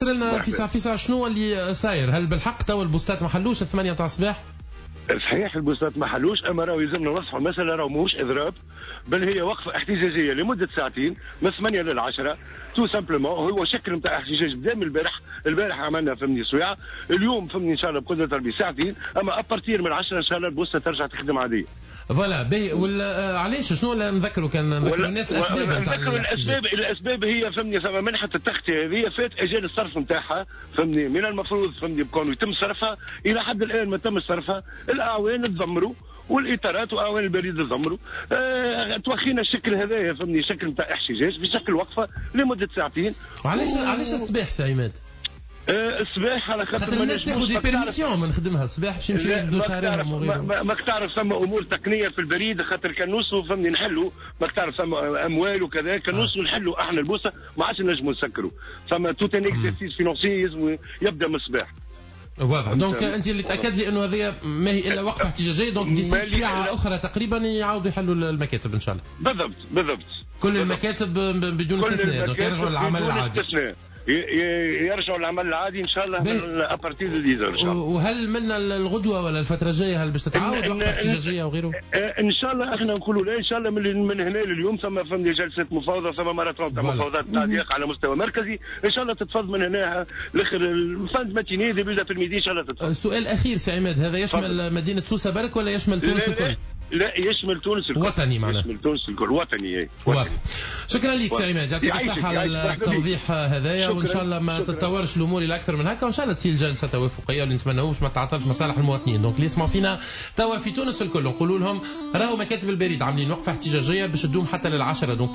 لنا فيسع فيسع شنو اللي صاير؟ هل بالحق تو البوستات ما حلوش 8 تاع الصباح؟ صحيح البوستات ما حلوش، اما راهو يلزمنا نوضحوا المسالة، راهو ماهوش اضراب، بل هي وقفه احتجاجية لمدة ساعتين من 8 لل 10 tout simplement. هو شكل نتاع احتجاج بدا من البارح، البارح عملنا فهمني سويعه، اليوم فهمني ان شاء الله بقدره ربي ساعتين، اما à partir من 10 ان شاء الله البوسته ترجع تخدم عادية. voilà، باهي. ولا علاش؟ شنو نذكروا كان نذكروا الناس الاسباب؟ نذكروا الاسباب. الاسباب هي فهمني ثم منحه التغطية هذه فات اجال الصرف نتاعها، فهمني من المفروض فهمني بكون يتم صرفها، الى حد الان ما تم صرفها. الاعوان تذمروا والاطارات واعوان البريد تذمروا، توخينا الشكل هذايا فهمني شكل نتاع احتجاج بشكل وقفه لمدة ساعتين. علاش الصباح سي عماد؟ الصباح على خاطر الناس تاخذ des permissions من خدمها الصباح باش يمشيو يجبدوا شهرهم وغيره. ماك تعرف ثم امور تقنية في البريد، خاطر كان نوصلوا فهمني نحلوا، ماك تعرف ثم اموال وكذا، كان نوصلوا نحلوا احنا البوسه ما عادش نجموا نسكروا، ثم tout un exercice financier لازم يبدا من الصباح. واضح. donc انت اللي تاكد لي انه هذه ما هي الا وقفه احتجاجية، donc d'ici ساعة اخرى تقريبا يعاودوا يحلوا المكاتب ان شاء الله. بالضبط بالضبط. كل المكاتب بدون استثناء، donc يرجعوا للعمل العادي. يرجعوا للعمل العادي ان شاء الله من à partir de 10 ان شاء الله. وهل من الغدوه ولا الفترة الجاية هل باش تتعاود وقفه احتجاجية وغيره؟ ان شاء الله احنا نقولوا لا، ان شاء الله من هنا لليوم ثم فهمني جلسه مفاوضه، ثم ماراثون تاع مفاوضات تعليق على مستوى مركزي، ان شاء الله تتفض من هنا لاخر fin de matinée، début d'après-midi ان شاء الله تتفض. السؤال الاخير سي عماد، هذا يشمل مدينة سوسة برك ولا يشمل تونس الكل؟ لا، يشمل تونس الكل. وطني معناها. يشمل تونس الكل، وطني. واضح. شكرا لك سي عماد، يعطيك الصحة على التوضيح هذايا، وان شاء الله ما تتطورش الامور الى اكثر من هكا، وان شاء الله تصير جلسه توافقيه واللي نتمناوش ما تعطلش مصالح المواطنين. donc اللي يسمعوا فينا توا في تونس الكل نقولوا لهم راهو مكاتب البريد عاملين وقفه احتجاجية باش تدوم حتى لل10، donc